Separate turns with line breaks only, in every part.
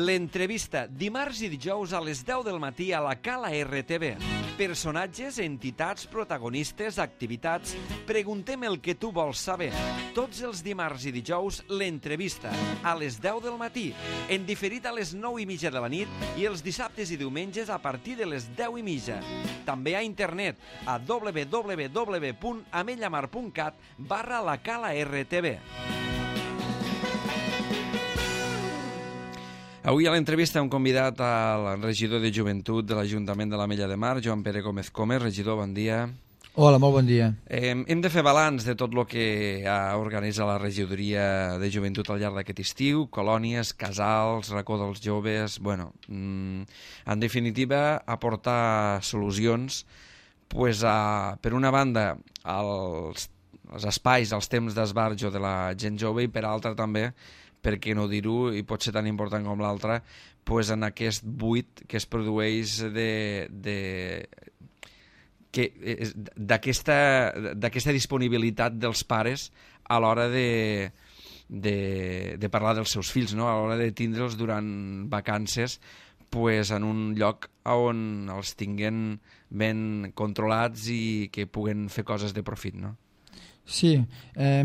L'entrevista, dimarts i dijous a les 10 del matí a la Cala RTV. Personatges, entitats, protagonistes, activitats. Preguntem el que tu vols saber. Tots els dimarts i dijous, l'entrevista, a les 10 del matí. En diferit a les 9:30 de la nit i els dissabtes i diumenges a partir de les 10:30. També a internet a www.amellamar.cat/la Cala RTV. Avui a l'entrevista hem convidat al regidor de Joventut de l'Ajuntament de l'Ametlla de Mar, Joan Pere Gómez Comes. Regidor, bon dia.
Hola, molt bon dia.
Hem de fer balanç de tot el que ha organitzat la regidoria de Joventut al llarg d'aquest estiu, colònies, casals, racó dels joves... Bueno, en definitiva, aportar solucions per una banda als espais, als temps d'esbarjo de la gent jove i per altra també, per què no dir-ho, i pot ser tan important com l'altra, en aquest buit que es produeix d'aquesta disponibilitat dels pares a l'hora de parlar dels seus fills, no? A l'hora de tindre'ls durant vacances en un lloc on els tinguen ben controlats i que puguen fer coses de profit, no?
Sí,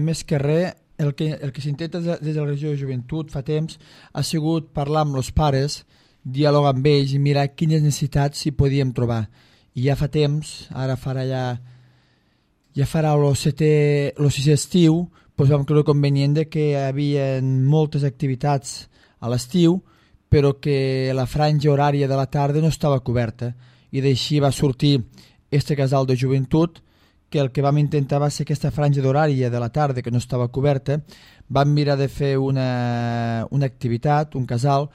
més que res, el que s'intenta des de la regió de Joventut fa temps ha sigut parlar amb els pares, dialogar amb ells i mirar quines necessitats s'hi podíem trobar. I ja fa temps, ara farà el sisè estiu, vam creure convenient que hi havia moltes activitats a l'estiu, però que la franja horària de la tarda no estava coberta. I d'així va sortir este casal de joventut, que el que vam intentar va ser aquesta franja d'horària de la tarda que no estava coberta. Vam mirar de fer una activitat, un casal,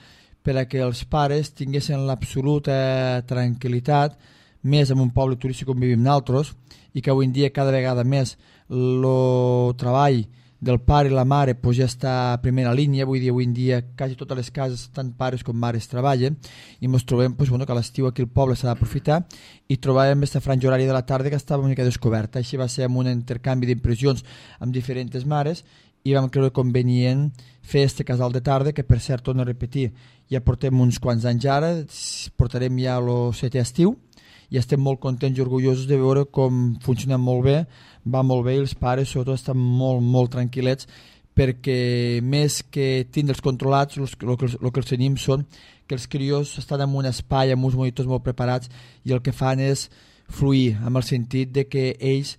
per a que els pares tinguessin l'absoluta tranquil·litat, més en un poble turístic com vivim nosaltres, i que avui en dia cada vegada més el treball del pare i la mare ja està a primera línia. Avui en dia quasi totes les cases, tant pares com mares, treballen, i ens trobem que a l'estiu aquí al poble s'ha d'aprofitar, i trobàvem aquesta franja horària de la tarda que estava una mica descoberta. Així va ser amb un intercanvi d'impressions amb diferents mares, i vam creure convenient fer este casal de tarda, que per cert, torno a repetir, ja portem uns quants anys ara, portarem ja el 7è estiu, i estem molt contents i orgullosos de veure com funciona molt bé, va molt bé, i els pares sobretot estan molt, molt tranquil·lets, perquè més que tindre'ls controlats, el que els tenim són que els crios estan en un espai amb uns monitors molt preparats i el que fan és fluir, amb el sentit de que ells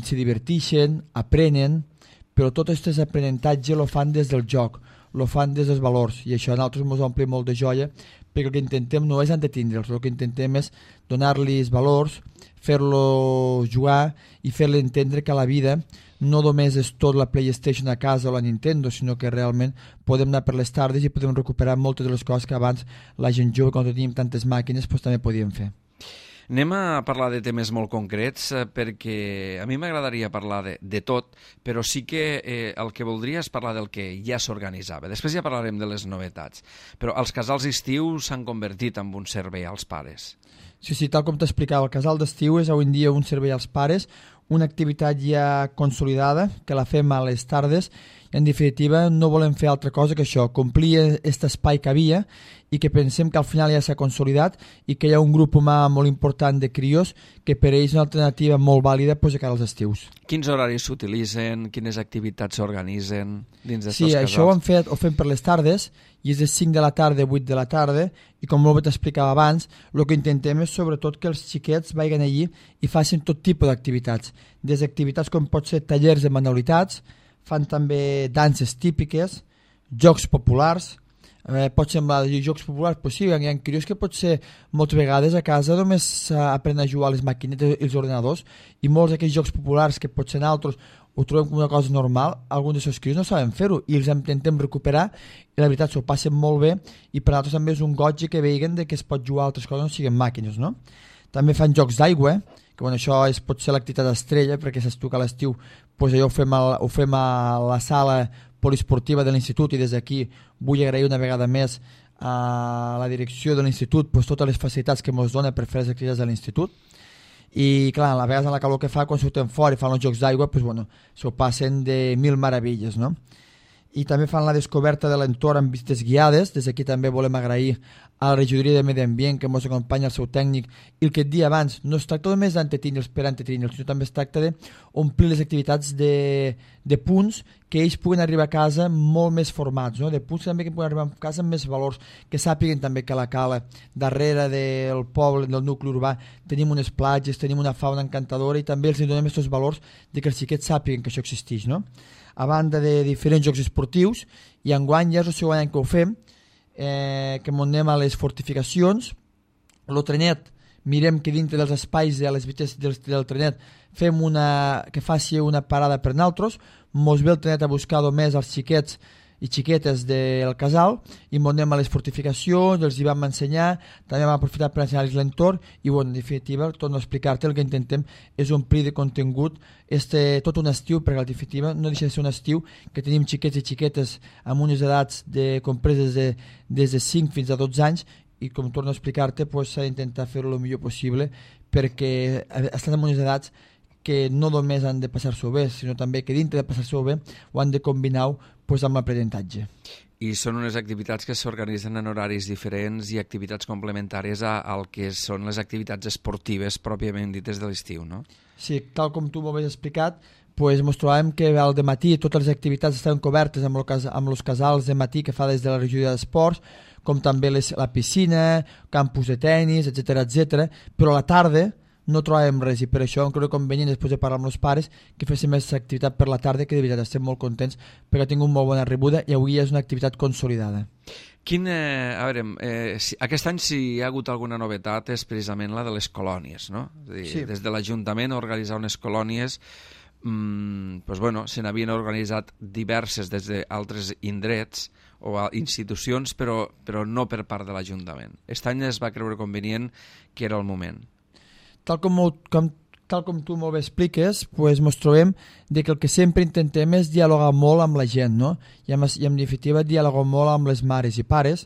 se diverteixen, aprenen, però tot aquest aprenentatge lo fan des del joc, lo fan des dels valors, i això a nosaltres ens omple molt de joia, perquè el que intentem no és entretindre'ls, el que intentem és donar-los valors, fer-los jugar i fer-los entendre que la vida no només és tot la PlayStation a casa o la Nintendo, sinó que realment podem anar per les tardes i podem recuperar moltes de les coses que abans la gent jove, quan teníem tantes màquines, també podíem fer.
Anem a parlar de temes molt concrets, perquè a mi m'agradaria parlar de tot, però sí que el que voldria és parlar del que ja s'organitzava. Després ja parlarem de les novetats. Però els casals estius s'han convertit en un servei als pares.
Sí, tal com t'explicava, el casal d'estiu és avui en dia un servei als pares, una activitat ja consolidada, que la fem a les tardes, i en definitiva no volem fer altra cosa que això, complir aquest espai que havia i que pensem que al final ja s'ha consolidat i que hi ha un grup humà molt important de crios que per ells és una alternativa molt vàlida a cara als estius.
Quins horaris s'utilitzen? Quines activitats s'organitzen dins d'estos
casals? Sí,
casals?
això ho fem per les tardes, i és de 5 de la tarda a 8 de la tarda, i com molt bé t'explicava abans, el que intentem és sobretot que els xiquets vagin allí i facin tot tipus d'activitats, des d'activitats com pot ser tallers de manualitats, fan també danses típiques, jocs populars. Pot semblar dir jocs populars, però sí, hi ha crios que potser moltes vegades a casa només aprenen a jugar a les maquinetes i els ordenadors, i molts d'aquests jocs populars que potser nosaltres ho trobem com una cosa normal, alguns dels seus crios no saben fer-ho i els intentem recuperar, i la veritat s'ho passen molt bé, i per nosaltres també és un goig que vegin que es pot jugar a altres coses, no siguin màquines, no? També fan jocs d'aigua, que això pot ser l'activitat estrella, perquè saps tu que a l'estiu allò ho fem a la sala poliesportiva de l'institut, i des d'aquí vull agrair una vegada més a la direcció de l'institut totes les facilitats que ens dona per fer les activitats de l'institut. I clar, a vegades en la calor que fa, quan surten fora i fan els jocs d'aigua, s'ho passen de mil meravilles, no? i també fan la descoberta de l'entorn amb visites guiades. Des d'aquí també volem agrair a la regidoria de Medi Ambient que ens acompanya, el seu tècnic, i el que et dia abans, no es tracta només d'entretenir-los per entretrenyre'ls, sinó també es tracta d'omplir les activitats de punts que ells puguen arribar a casa molt més formats, no? De punts també que puguen arribar a casa amb més valors, que sàpiguen també que a la Cala, darrere del poble, del nucli urbà, tenim unes platges, tenim una fauna encantadora, i també els donem aquests valors de que els xiquets sàpiguen que això existeix, no? A banda de diferents jocs esportius, i enguany ja és el segon any que ho fem, que anem a les fortificacions. El trenet, mirem que dintre dels espais de les vites del trenet fem que faci una parada per nosaltres, mos ve el trenet a buscar només els xiquets i xiquetes del casal, i anem a les fortificacions, els hi vam ensenyar, també vam aprofitar per ensenyar-los l'entorn, i en definitiva, torno a explicar-te, el que intentem és omplir de contingut tot un estiu, perquè en definitiva no deixa de ser un estiu que tenim xiquets i xiquetes amb unes edats compreses des de 5 fins a 12 anys, i com torno a explicar-te, s'ha d'intentar fer-ho el millor possible, perquè estan en unes edats que no només han de passar-s'ho bé, sinó també que dintre de passar-s'ho bé ho han de combinar amb l'aprenentatge.
I són unes activitats que s'organitzen en horaris diferents i activitats complementàries al que són les activitats esportives pròpiament dites de l'estiu, no?
Sí, tal com tu m'ho has explicat, ens trobàvem que al dematí totes les activitats estaven cobertes amb els casals de matí que fa des de la regidoria d'esports, com també la piscina, campus de tennis, etc, però a la tarda no trobàvem res, i per això em crec convenient, després de parlar amb els pares, que féssim més activitat per la tarda, que de veritat estem molt contents perquè ha tingut molt bona rebuda i avui és una activitat consolidada.
Aquest any si hi ha hagut alguna novetat és precisament la de les colònies, no? És a dir, sí. Des de l'Ajuntament organitzar unes colònies, se n'havien organitzat diverses des d'altres indrets o institucions, però no per part de l'Ajuntament. Aquest any es va creure convenient que era el moment.
Tal com tu molt bé expliques, ens trobem que el que sempre intentem és dialogar molt amb la gent, no? I en definitiva dialogar molt amb les mares i pares,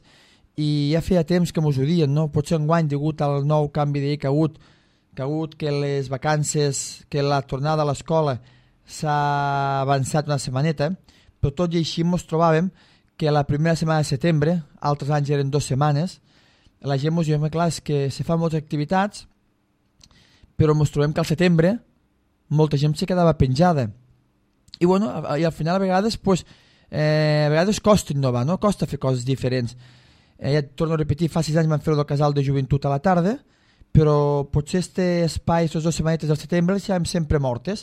i ja feia temps que mos ho dien, no? Potser enguany, degut al nou canvi de llei que ha hagut, que les vacances, que la tornada a l'escola s'ha avançat una setmaneta, però tot i així mos trobàvem que la primera setmana de setembre, altres anys eren 2 setmanes, la gent mos diu, clar, és que se fan moltes activitats, però ens trobem que al setembre molta gent se quedava penjada, i al final a vegades costa innovar, no? Costa fer coses diferents. Ja et torno a repetir, fa 6 anys vam fer-ho del casal de joventut a la tarda, però potser aquest espai, aquestes 2 setmanetes del setembre les deixàvem sempre mortes,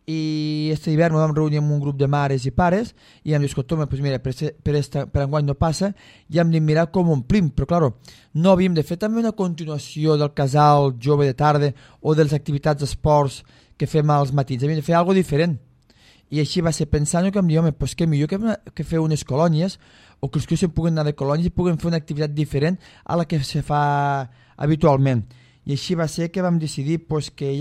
i aquest hivern vam reunir amb un grup de mares i pares i hem dit, mira, per enguany no passa, i hem de mirar com omplim, però clar, no havíem de fer també una continuació del casal jove de tarda o de les activitats d'esports que fem als matins, havíem de fer alguna cosa diferent, i així va ser pensant que em diu, què millor que fer unes colònies, o que els que puguen anar de colònies i puguen fer una activitat diferent a la que se fa habitualment, i així va ser que vam decidir que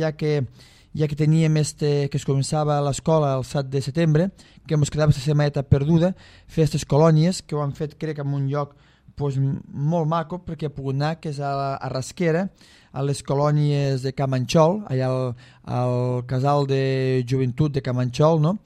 ja que teníem que es començava l'escola el 7 de setembre, que ens quedava aquesta setmaneta perduda, fer aquestes colònies, que ho han fet, crec, en un lloc molt maco, perquè ha pogut anar, que és a Rasquera, a les colònies de Camanxol, allà al casal de joventut de Camanxol, no?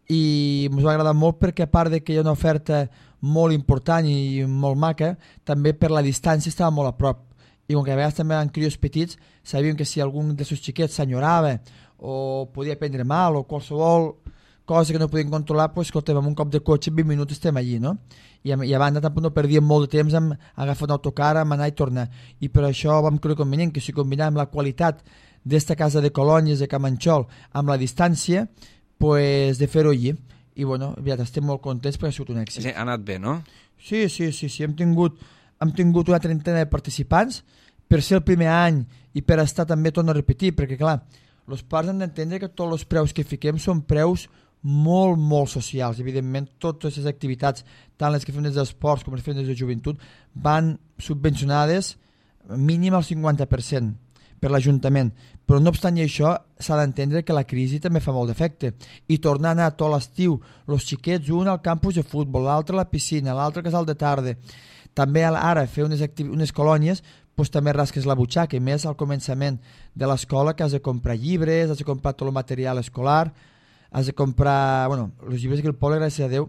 I ens va agradar molt perquè, a part de que hi ha una oferta molt important i molt maca, també per la distància estava molt a prop. I com que a vegades també eren crios petits, sabíem que si algun dels seus xiquets s'enyorava o podia prendre mal o qualsevol cosa que no podien controlar, escolta'm, amb un cop de cotxe 20 minuts estem allí, no? I a banda tampoc no perdíem molt de temps en agafar un autocar, en anar i tornar. I per això vam creure convenient que si combinàvem la qualitat d'esta casa de colònies de Camanxol amb la distància, de fer-ho allí. I estem molt contents perquè ha sigut un èxit.
Sí, ha anat bé, no?
Sí, hem tingut una trentena de participants per ser el primer any i per estar també, torno a repetir, perquè clar, els pares han d'entendre que tots els preus que fiquem són preus molt, molt socials. Evidentment, totes les activitats, tant les que fem des d'esports com les que fem des de joventut, van subvencionades mínim al 50% per l'Ajuntament. Però no obstant això, s'ha d'entendre que la crisi també fa molt d'efecte. I tornar a anar tot l'estiu, els xiquets, un al campus de futbol, l'altre a la piscina, l'altre al casal de tarda, també ara fer unes colònies, també rasques la butxaca, i més al començament de l'escola, que has de comprar llibres, has de comprar tot el material escolar, has de comprar, els llibres que el poble, gràcies a Déu,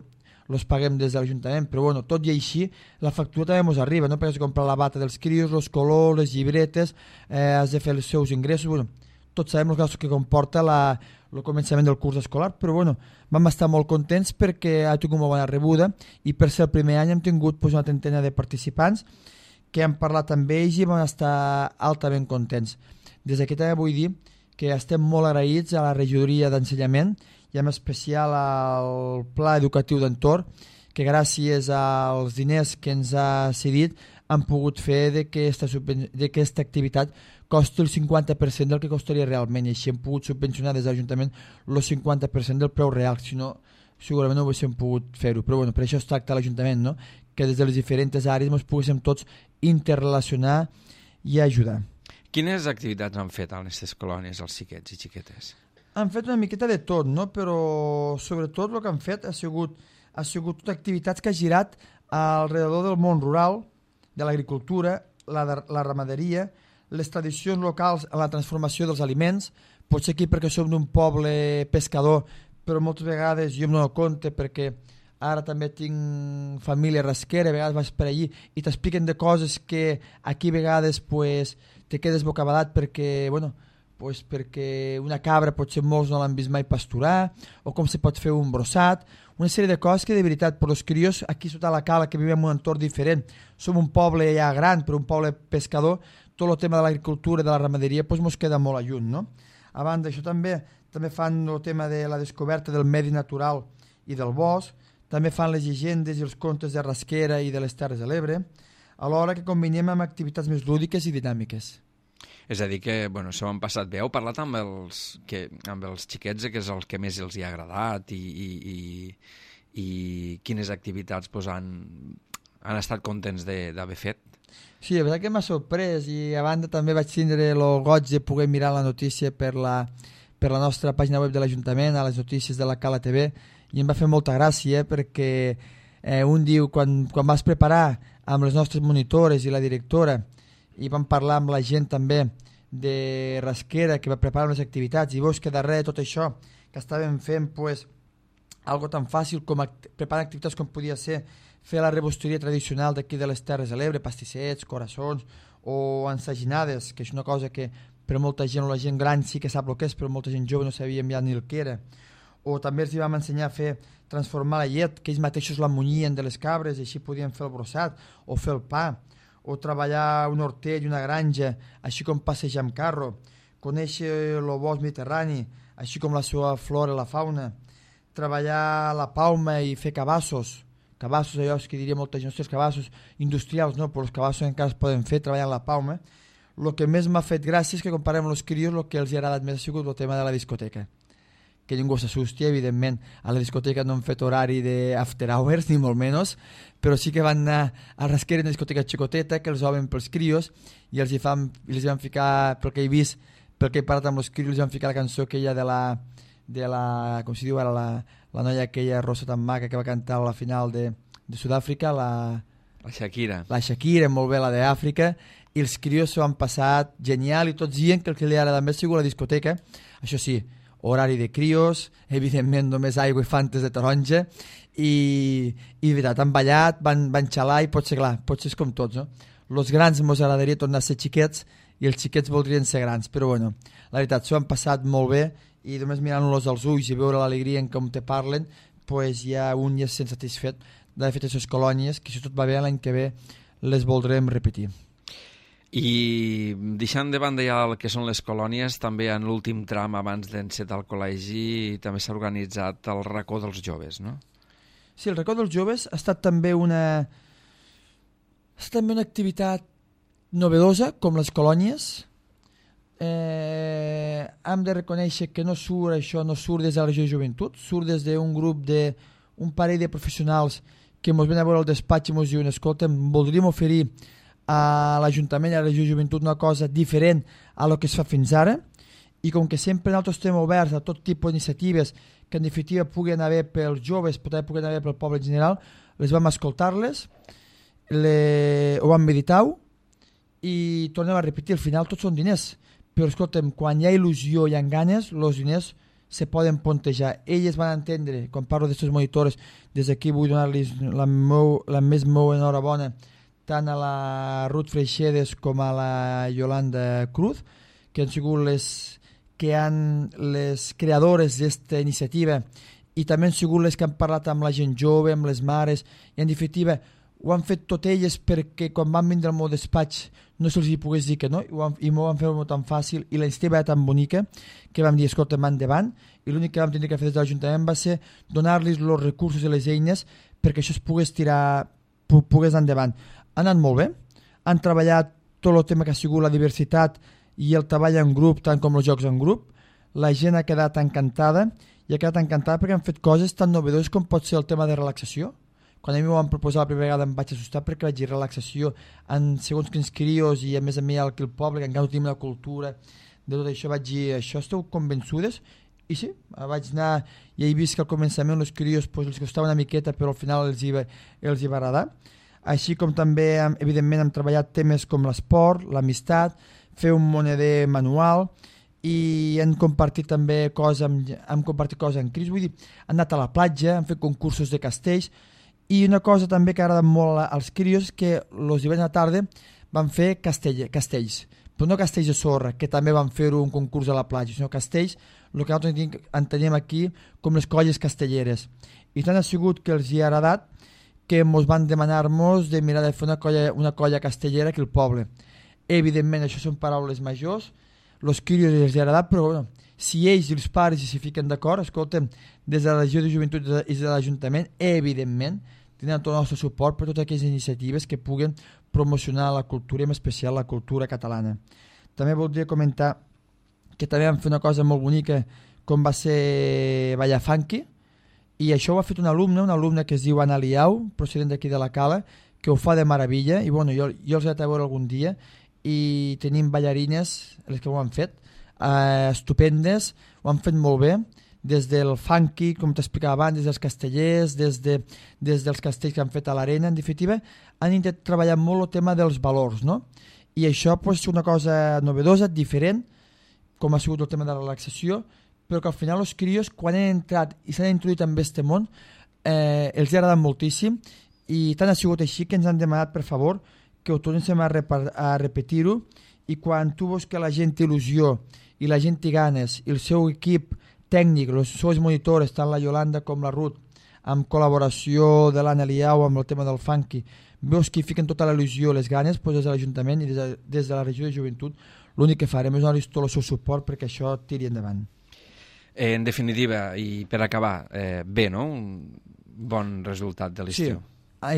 els paguem des de l'Ajuntament, però bueno, tot i així la factura també ens arriba, no? Perquè has de comprar la bata dels crios, els colors, les llibretes, has de fer els seus ingressos, bueno, tots sabem els gastos que comporta el començament del curs escolar, però bueno, vam estar molt contents perquè ha tingut molt bona rebuda i per ser el primer any hem tingut pues, una trentena de participants que hem parlat amb ells i vam estar altament contents. Des d'aquí també vull dir que estem molt agraïts a la regidoria d'ensenyament i en especial al Pla Educatiu d'Entorn, que gràcies als diners que ens ha cedit han pogut fer d'aquesta activitat costi el 50% del que costaria realment i així hem pogut subvencionar des de l'Ajuntament el 50% del preu real, si no segurament no haguéssim pogut fer-ho, però bueno, per això es tracta l'Ajuntament, no? Que des de les diferents àrees ens poguéssim tots interrelacionar i ajudar.
Quines activitats han fet a les aquestes colònies els xiquets i xiquetes?
Han fet una miqueta de tot, no? Però sobretot el que han fet ha sigut activitats que ha girat alrededor del món rural, de l'agricultura, la ramaderia, les tradicions locals en la transformació dels aliments, potser aquí perquè som d'un poble pescador, però moltes vegades jo em dono compte perquè ara també tinc família rasquera, a vegades vaig per allí i t'expliquen de coses que aquí a vegades pues, te quedes bocabadat perquè, bueno, pues perquè una cabra potser molts no l'han vist mai pasturar, o com se pot fer un brossat, una sèrie de coses que de veritat per als crios aquí sota la cala que vivim en un entorn diferent, som un poble ja gran però un poble pescador, tot el tema de l'agricultura i de la ramaderia pues, mos queda molt a lluny, no? A banda d'això també fan el tema de la descoberta del medi natural i del bosc, també fan les llegendes i els contes de rasquera i de les Terres de l'Ebre, alhora que combinem amb activitats més lúdiques i dinàmiques.
És a dir que, bueno, s'ho han passat bé. Heu parlat amb els xiquets, que és el que més els hi ha agradat i quines activitats pues, han estat contents d'haver fet?
Sí, la veritat que m'ha sorprès i a banda també vaig tindre el goig de poder mirar la notícia per la nostra pàgina web de l'Ajuntament, a les notícies de la Cala TV, i em va fer molta gràcia perquè un diu, quan vas preparar amb les nostres monitores i la directora i vam parlar amb la gent també de rasquera que va preparar les activitats i veus que darrere de tot això que estàvem fent pues, algo tan fàcil com preparar activitats com podia ser fer la rebosteria tradicional d'aquí de les Terres de l'Ebre, pastissets, coraçons o ensaginades, que és una cosa que per molta gent o la gent gran sí que sap el que és, però molta gent jove no sabia ja ni el que era. O també els vam ensenyar a transformar la llet, que ells mateixos la munyien de les cabres i així podien fer el brossat o fer el pa, o treballar un hortell i una granja, així com passejar amb carro, conèixer el bosc mediterrani, així com la seva flora i la fauna, treballar la palma i fer cabassos, allò que diria molta gent, els cabassos industrials, no, però els cabassos encara es poden fer treballant la palma. El que més m'ha fet gràcia és que comparem els crios, el que els ha agradat més ha sigut el tema de la discoteca. Que ningú s'assusti, evidentment, a la discoteca no han fet horari d'after hours, ni molt menys, però sí que van anar a rasquera una discoteca xicoteta, que els obren pels crios, i els van ficar, pel que he vist, pel que he parlat amb els crios, els van ficar la cançó aquella de la com s'hi diu ara, la noia aquella rossa tan maca que va cantar a la final de Sud-àfrica, la
Shakira.
La Shakira, molt bé, la d'Àfrica, i els crios s'ho han passat genial i tots dient que el que li agrada més ha sigut la discoteca. Això sí, horari de crios, evidentment només aigua i fantes de taronja, i de veritat, han ballat, van xalar i potser és com tots, no? Els grans ens agradaria tornar a ser xiquets i els xiquets voldrien ser grans, però bueno, la veritat, s'ho han passat molt bé i només mirant-los als ulls i veure l'alegria en com te parlen, pues ja un ja es sent satisfet d'haver fet aquestes colònies, que si tot va bé l'any que ve les voldrem repetir.
I deixant de banda ja el que són les colònies, també en l'últim tram abans d'encetar el col·legi també s'ha organitzat el racó dels joves, no?
Sí, el racó dels joves ha estat també una activitat novedosa, com les colònies. Hem de reconèixer que no surt des de la regió de joventut, surt des d'un grup d'un parell de professionals que ens ven a veure al despatx i ens diuen, escolta, voldríem oferir a l'Ajuntament i a la regió de joventut una cosa diferent a lo que es fa fins ara, i com que sempre nosaltres estem oberts a tot tipus d'iniciatives que en definitiva puguen haver pels joves, però també puguen haver pel poble en general, les vam escoltar-les, ho vam meditar i tornem a repetir, al final tots són diners, però escolta'm, quan hi ha il·lusió i hi ha ganes, els diners se poden pontejar. Elles van entendre, quan parlo d'aquestes monitores, des d'aquí vull donar-los la més meu enhorabona tant a la Ruth Freixedes com a la Yolanda Cruz, que han sigut les creadores d'aquesta iniciativa i també han sigut les que han parlat amb la gent jove, amb les mares, i en definitiva ho han fet tot elles perquè quan van vindre al meu despatx no se'ls hi pogués dir que no, i m'ho van fer molt tan fàcil i la iniciativa era tan bonica que vam dir, escolta, endavant, i l'únic que vam tenir que fer des de l'Ajuntament va ser donar-los els recursos i les eines perquè això es pogués pogués endavant. Ha anat molt bé, han treballat tot el tema que ha sigut la diversitat i el treball en grup, tant com els jocs en grup. La gent ha quedat encantada i ha quedat encantada perquè han fet coses tan novedoses com pot ser el tema de relaxació. Quan a mi m'ho van proposar la primera vegada em vaig assustar perquè vaig dir relaxació en segons quins crios i a més aquí al poble, que encara no tenim la cultura de tot això, vaig dir, això esteu convençudes? I sí, vaig anar i he vist que al començament els crios els costava una miqueta però al final els hi va agradar. Així com també, evidentment, hem treballat temes com l'esport, l'amistat, fer un moneder manual i hem compartit també coses en crios, vull dir, han anat a la platja, han fet concursos de castells. I una cosa també que agrada molt als crios és que els divendres a la tarda van fer castells, però no castells de sorra, que també van fer un concurs a la platja, sinó castells, el que nosaltres entenem aquí com les colles castelleres. I tant ha sigut que els hi ha agradat que ens van demanar-nos de mirar de fer una colla castellera aquí al poble. Evidentment, això són paraules majors, els crios els ha agradat, però bueno, si ells i els pares s'hi fiquen d'acord, escolta'm, des de la regió de joventut i des de l'Ajuntament, evidentment, tindran tot el nostre suport per totes aquelles iniciatives que puguen promocionar la cultura, en especial la cultura catalana. També voldria comentar que també vam fer una cosa molt bonica com va ser ballar funky, i això ho ha fet una alumna que es diu Ana Liau, procedent d'aquí de la Cala, que ho fa de meravella, i bueno, jo els he de veure algun dia, i tenim ballarines, les que ho han fet, estupendes, ho han fet molt bé, des del funky, com t'explicava abans, des dels castellers, des dels castells que han fet a l'arena, en definitiva, han intentat treballar molt el tema dels valors, no? I això és una cosa novedosa, diferent, com ha sigut el tema de la relaxació, però que al final els crios, quan han entrat i s'han introduït en aquest món, els ha agradat moltíssim, i tant ha sigut així que ens han demanat, per favor, que ho tornéssim a repetir-ho, i quan tu veus que la gent té il·lusió i la gent té ganes i el seu equip tècnic, les seves monitores, tant la Yolanda com la Ruth, amb col·laboració de l'Anna Liau amb el tema del funky, veus que hi fiquen tota la il·lusió i les ganes, doncs des de l'Ajuntament i des de la regió de joventut l'únic que farem és donar-los tot el seu suport perquè això tiri endavant.
En definitiva, i per acabar, bé, no? Un bon resultat de l'estiu.
Sí.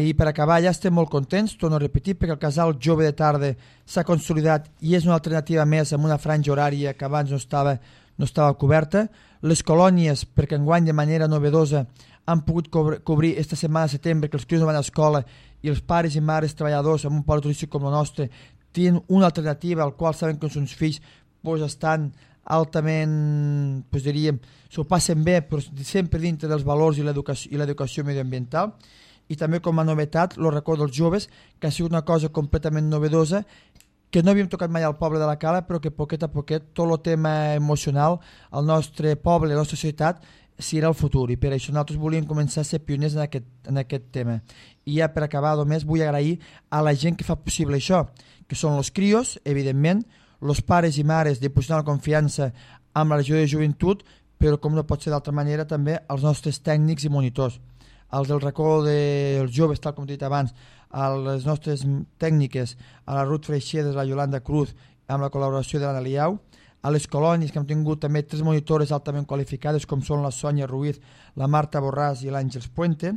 I per acabar ja estem molt contents, torno a repetir, perquè el casal jove de tarda s'ha consolidat i és una alternativa més amb una franja horària que abans no estava coberta. Les colònies, perquè enguany de manera novedosa han pogut cobrir esta setmana de setembre que els crios no van a escola i els pares i mares treballadors en un poble turístic com el nostre tenen una alternativa al qual saben que els seus fills estan altament, diríem, s'ho passen bé, però sempre dintre dels valors i l'educació medioambiental. I també com a novetat el racó dels joves, que ha sigut una cosa completament novedosa, que no havíem tocat mai al poble de la Cala, però que poquet a poquet tot el tema emocional al nostre poble, a la nostra societat, serà el futur, i per això nosaltres volíem començar a ser pioners en aquest tema. I ja per acabar, només vull agrair a la gent que fa possible això, que són els crios, evidentment, els pares i mares dipositant la confiança amb la regió de joventut, però com no pot ser d'altra manera també els nostres tècnics i monitors, els del racó dels joves, tal com he dit abans, a les nostres tècniques, a la Ruth Freixedes, la Yolanda Cruz, amb la col·laboració de l'Anna Liau, a les colònies, que hem tingut també 3 monitores altament qualificades, com són la Sònia Ruiz, la Marta Borràs i l'Àngels Puente,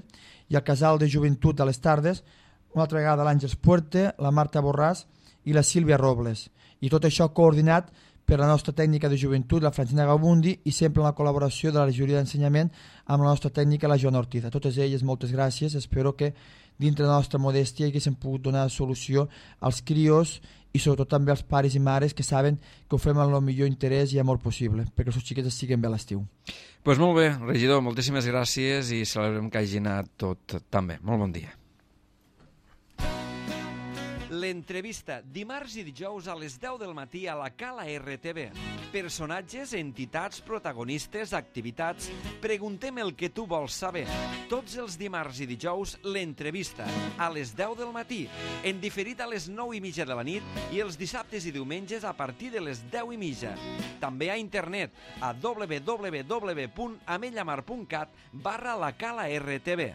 i el casal de joventut a les tardes, una altra vegada l'Àngels Puente, la Marta Borràs i la Sílvia Robles. I tot això coordinat per la nostra tècnica de joventut, la Francina Gabundi, i sempre en la col·laboració de la regidoria d'ensenyament amb la nostra tècnica, la Joana Ortiz. A totes elles, moltes gràcies. Espero que dintre de la nostra modèstia haguéssim pogut donar solució als crios i sobretot també als pares i mares que saben que ho fem amb el millor interès i amor possible, perquè els seus xiquets estiguen bé a l'estiu.
Doncs molt bé, regidor, moltíssimes gràcies i celebrem que hagi anat tot tan bé. Molt bon dia. L'entrevista, dimarts i dijous a les 10 del matí a la Cala RTV. Personatges, entitats, protagonistes, activitats... Preguntem el que tu vols saber. Tots els dimarts i dijous, l'entrevista, a les 10 del matí, en diferit a les 9:30 de la nit i els dissabtes i diumenges a partir de les 10:30. També a internet a www.amellamar.cat/la Cala RTV.